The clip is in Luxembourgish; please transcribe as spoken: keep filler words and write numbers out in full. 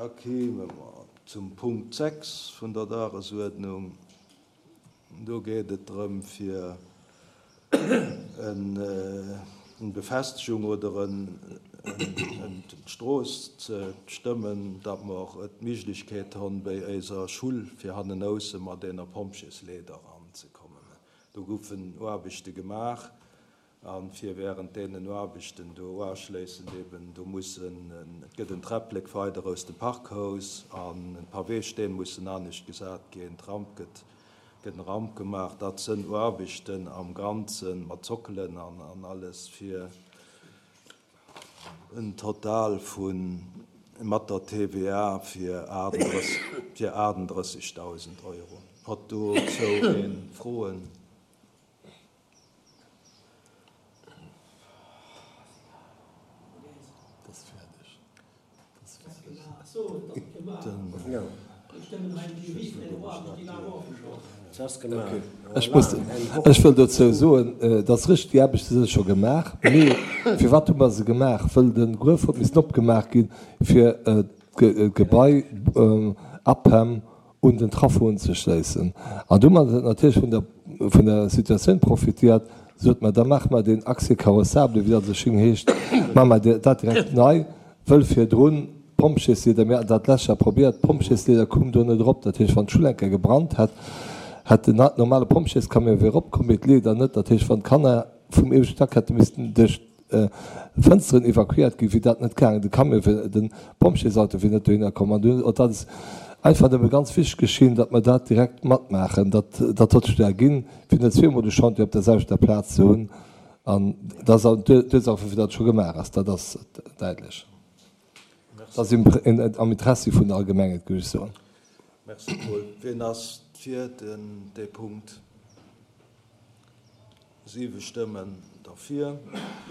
Da kéime mer zum Punkt sechs vun der Dagesuerdnung. Do geet et drëm, fir eng Befestigung oder d'Strooss ze stëmmen, datt mer d'Méiglechkeet hunn, bei eiser Schull fir hannenausse mat deene Pompjeesleeder eranzekommen. Do goufen Aarbechte gemaach a fir während deenen Aarbechten do uschléissend eben, do mussen, et gëtt en Träpplek weider aus dem Parkhaus an d'Paweesteen mussen anescht gesat ginn, d'Ramp gëtt, gëtt en Ramp gemaach. Dat sinn Aarbechten am Ganzen mat Zockelen an, an alles fir en Total vun mat der T V A fir fir achtendrëssegdausend Euro. Huet dozou een Froen? Ech muss, ech wëll dozou soen, et ass richteg, déi Aarbechte si scho gemaach. Mee firwat hu mer se gemaach? Wëll de Gruef huet missen opgemaach ginn, fir d'Gebai A P E M un den Traffo unzeschléissen. An do hu mer natierlech vun der, vun der Situatioun profitiert, sot mer, da maache mer deen Accès carrossable, wéi dat esou schéin heescht, maache mer dat direkt nei, wëll virdrun d'Pompjeesleeder, mir haten dat d'lescht Joer probéiert, d'Pompjeesleeder koum do net erop. Dat heescht, wann d'Schull eng Kéier gebrannt hätt, hätt den normale Pompjeescamion wier eropkomm, mee d'Leeder net. Dat heescht, wann d'Kanner vum ieweschte Stack hätte missten duerch d'Fënsteren evakuéiert ginn, wier dat net gaangen. De Camion wier, de Pompjeesauto wier net dohinner komm. An do, dat ass einfach nëmme ganz wichteg geschinn, datt mer dat direkt matmaachen, datt dat huet sech do erginn, fir net zweemol de Chantier op der selwechter Plaz ze hunn. An dat ass d'Ursaach, woufir dat scho gemaach ass. Dat ass däitlech. Dat ass am Interessi vun der Allgemengheet, géif ech soen. Merci, Paul. Wien ass fir den, dee Punkt? Siwe Stëmmen derfir.